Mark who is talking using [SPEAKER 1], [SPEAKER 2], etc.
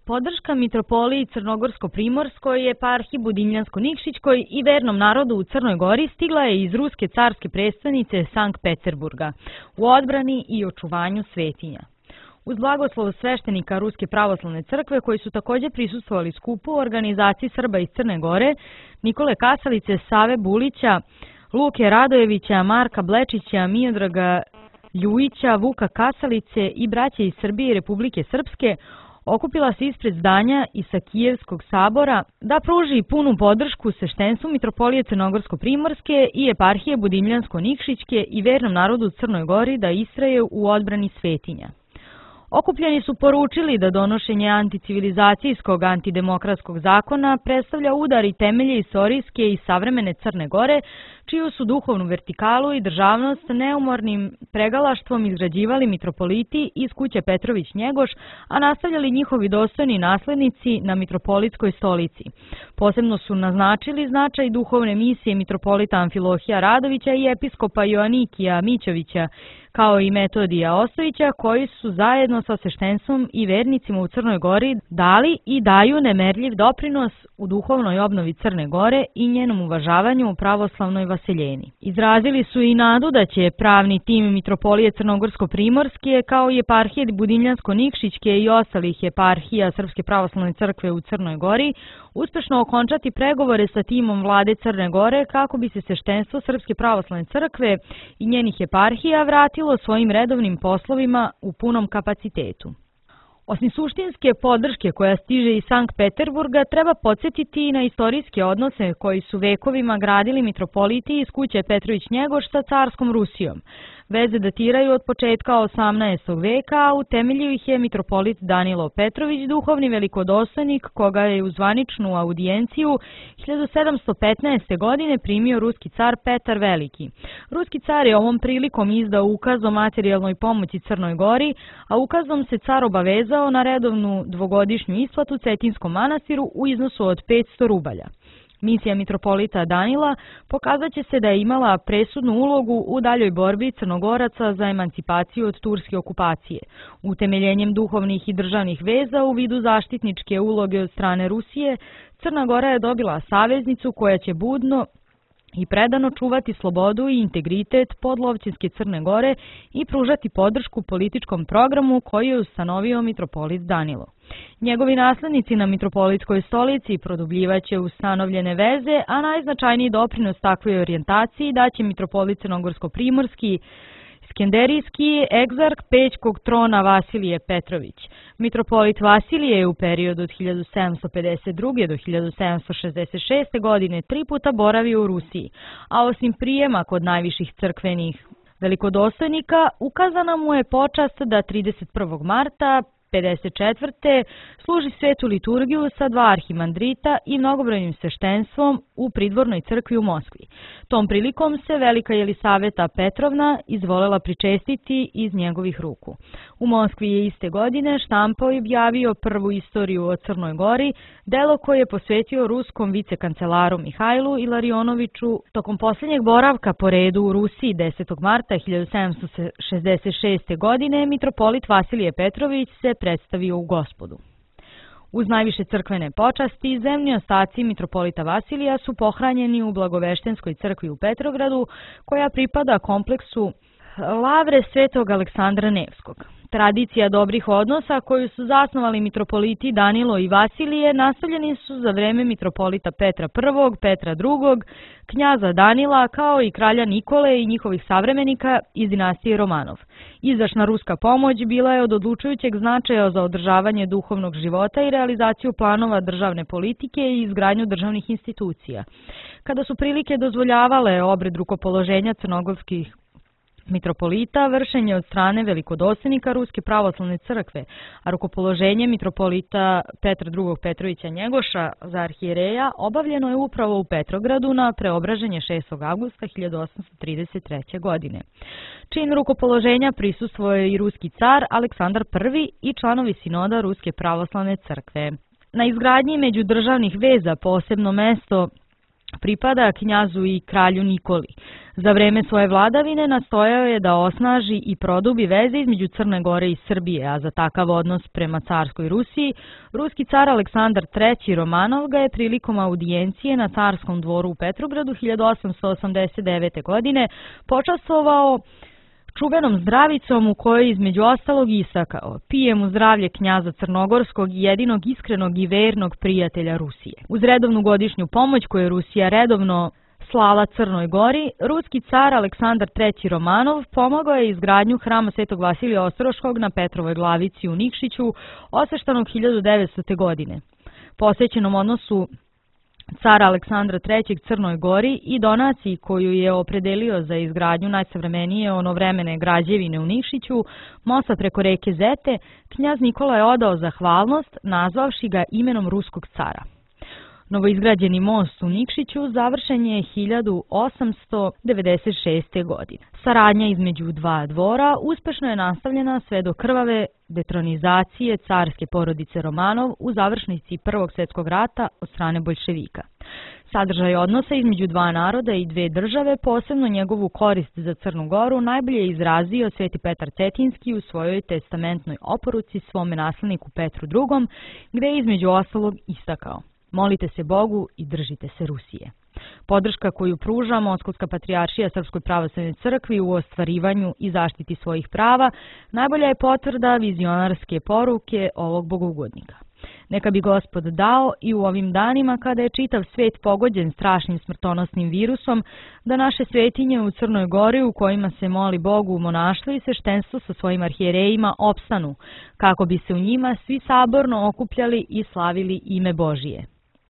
[SPEAKER 1] Podrška mitropoliji Crnogorsko-Primorskoj, eparhiji Budimljansko-Nikšićkoj i vernom narodu u Crnoj Gori stigla je iz ruske carske prestonice Sankt Peterburga u odbrani i očuvanju svetinja. Uz blagoslov sveštenika Ruske pravoslavne crkve, koji su također prisustvovali skupu, organizaciji Srba iz Crne Gore, Nikole Kasalice, Save Bulića, Luke Radojevića, Marka Blečića, Miodraga Ljujića, Vuka Kasalice i braće iz Srbije i Republike Srpske, okupila se ispred zdanja Isakijevskog sabora da pruži punu podršku sveštenstvu mitropolije Crnogorsko-Primorske i eparhije Budimljansko-Nikšićke i vernom narodu u Crnoj Gori da istraje u odbrani svetinja. Okupljeni su poručili da donošenje anticivilizacijskog antidemokratskog zakona predstavlja udar i temelje istorijske i savremene Crne Gore, čiju su duhovnu vertikalu i državnost neumornim pregalaštvom izgrađivali mitropoliti iz kuće Petrović-Njegoš, a nastavljali njihovi dostojni naslednici na mitropolitskoj stolici. Posebno su naznačili značaj duhovne misije mitropolita Amfilohija Radovića i episkopa Joanikija Mićovića, kao i Metodija Ostojića, koji su zajedno sa sveštenstvom i vernicima u Crnoj Gori dali i daju nemerljiv doprinos u duhovnoj obnovi Crne Gore i njenom uvažavanju u pravoslavnoj vaseljeni. Izrazili su i nadu da će pravni tim mitropolije Crnogorsko-Primorske, kao i eparhije Budimljansko-Nikšićke i ostalih eparhija Srpske pravoslavne crkve u Crnoj Gori, uspešno okončati pregovore sa timom vlade Crne Gore kako bi se sveštenstvo Srpske pravoslavne crkve i njenih eparhija vratilo svojim redovnim poslovima u punom kapacitetu. Osim suštinske podrške koja stiže iz Sankt Peterburga, treba podsjetiti i na istorijske odnose koji su vekovima gradili mitropoliti iz kuće Petrović-Njegoš sa carskom Rusijom. Veze datiraju od početka 18. veka, a utemeljio ih je mitropolit Danilo Petrović, duhovni velikodostojnik, koga je u zvaničnu audijenciju 1715. godine primio ruski car Petar Veliki. Ruski car je ovom prilikom izdao ukaz o materijalnoj pomoći Crnoj Gori, a ukazom se car obavezao na redovnu dvogodišnju isplatu Cetinskom manastiru u iznosu od 500 rubalja. Misija mitropolita Danila pokazat će se da je imala presudnu ulogu u daljoj borbi Crnogoraca za emancipaciju od turske okupacije. Utemeljenjem duhovnih i državnih veza u vidu zaštitničke uloge od strane Rusije, Crna Gora je dobila saveznicu koja će budno i predano čuvati slobodu i integritet podlovćinske Crne Gore i pružati podršku političkom programu koji je ustanovio mitropolit Danilo. Njegovi naslednici na mitropolitskoj stolici produbljivaće ustanovljene veze, a najznačajniji doprinos takvoj orijentaciji daće mitropolit Crnogorsko-Primorski, Skenderijski egzarh Pećkog trona Vasilije Petrović. Mitropolit Vasilije je u periodu od 1752. do 1766. godine 3 puta boravio u Rusiji, a osim prijema kod najviših crkvenih velikodostojnika, ukazana mu je počast da 31. marta 54. služi svetu liturgiju sa 2 arhimandrita i mnogobrojnim sveštenstvom u pridvornoj crkvi u Moskvi. Tom prilikom se velika Jelisaveta Petrovna izvolela pričestiti iz njegovih ruku. U Moskvi je iste godine štampao i objavio prvu istoriju o Crnoj Gori, delo koje je posvetio ruskom vicekancelaru Mihajlu Ilarionoviću. Tokom posljednjeg boravka po redu u Rusiji 10. marta 1766. godine mitropolit Vasilije Petrović se predstavio u Gospodu. Uz najviše crkvene počasti, zemlji ostaci mitropolita Vasilija su pohranjeni u Blagoveštenskoj crkvi u Petrogradu, koja pripada kompleksu Lavre Svetog Aleksandra Nevskog. Tradicija dobrih odnosa koju su zasnovali mitropoliti Danilo i Vasilije nastavljeni su za vreme mitropolita Petra I, Petra II, knjaza Danila, kao i kralja Nikole i njihovih savremenika iz dinastije Romanov. Izdašna ruska pomoć bila je od odlučujućeg značaja za održavanje duhovnog života i realizaciju planova državne politike i izgradnju državnih institucija. Kada su prilike dozvoljavale obred rukopoloženja crnogorskih mitropolita, vršenje od strane velikodostojnika Ruske pravoslavne crkve, a rukopoloženje mitropolita Petra II. Petrovića Njegoša za arhijereja obavljeno je upravo u Petrogradu na preobraženje 6. avgusta 1833. godine. Čin rukopoloženja prisustvovao je i ruski car Aleksandar I i članovi sinoda Ruske pravoslavne crkve. Na izgradnji međudržavnih veza posebno mesto pripada knjazu i kralju Nikoli. Za vreme svoje vladavine nastojao je da osnaži i produbi veze između Crne Gore i Srbije, a za takav odnos prema carskoj Rusiji, ruski car Aleksandar III Romanov ga je prilikom audijencije na carskom dvoru u Petrogradu 1889. godine počastvovao čuvenom zdravicom u kojoj između ostalog istakao: pijem u zdravlje knjaza Crnogorskog, jedinog iskrenog i vernog prijatelja Rusije. Uz redovnu godišnju pomoć koju je Rusija redovno slala Crnoj Gori, ruski car Aleksandar III Romanov pomogao je izgradnju hrama Svetog Vasilija Ostroškog na Petrovoj Glavici u Nikšiću, osveštanog 1900. godine. Posvećenom odnosu cara Aleksandra III Crnoj Gori i donaciji koju je opredelio za izgradnju najsavremenije onovremene građevine u Nikšiću, mosta preko reke Zete, knjaz Nikola je odao zahvalnost nazvavši ga imenom ruskog cara. Novoizgrađeni most u Nikšiću završen je 1896. godine. Saradnja između dva dvora uspešno je nastavljena sve do krvave detronizacije carske porodice Romanov u završnici Prvog svjetskog rata od strane boljševika. Sadržaj odnosa između dva naroda i dve države, posebno njegovu korist za Crnu Goru, najbolje je izrazio Sveti Petar Cetinski u svojoj testamentnoj oporuci svome nasledniku Petru II, gde je između ostalog istakao: molite se Bogu i držite se Rusije. Podrška koju pruža Moskovska patrijaršija Srpskoj pravoslavnoj crkvi u ostvarivanju i zaštiti svojih prava najbolja je potvrda vizionarske poruke ovog bogougodnika. Neka bi Gospod dao i u ovim danima kada je čitav svet pogođen strašnim smrtonosnim virusom, da naše svetinje u Crnoj Gori u kojima se moli Bogu monaštvo i sveštenstvo sa svojim arhijerejima opstanu, kako bi se u njima svi saborno okupljali i slavili ime Božije.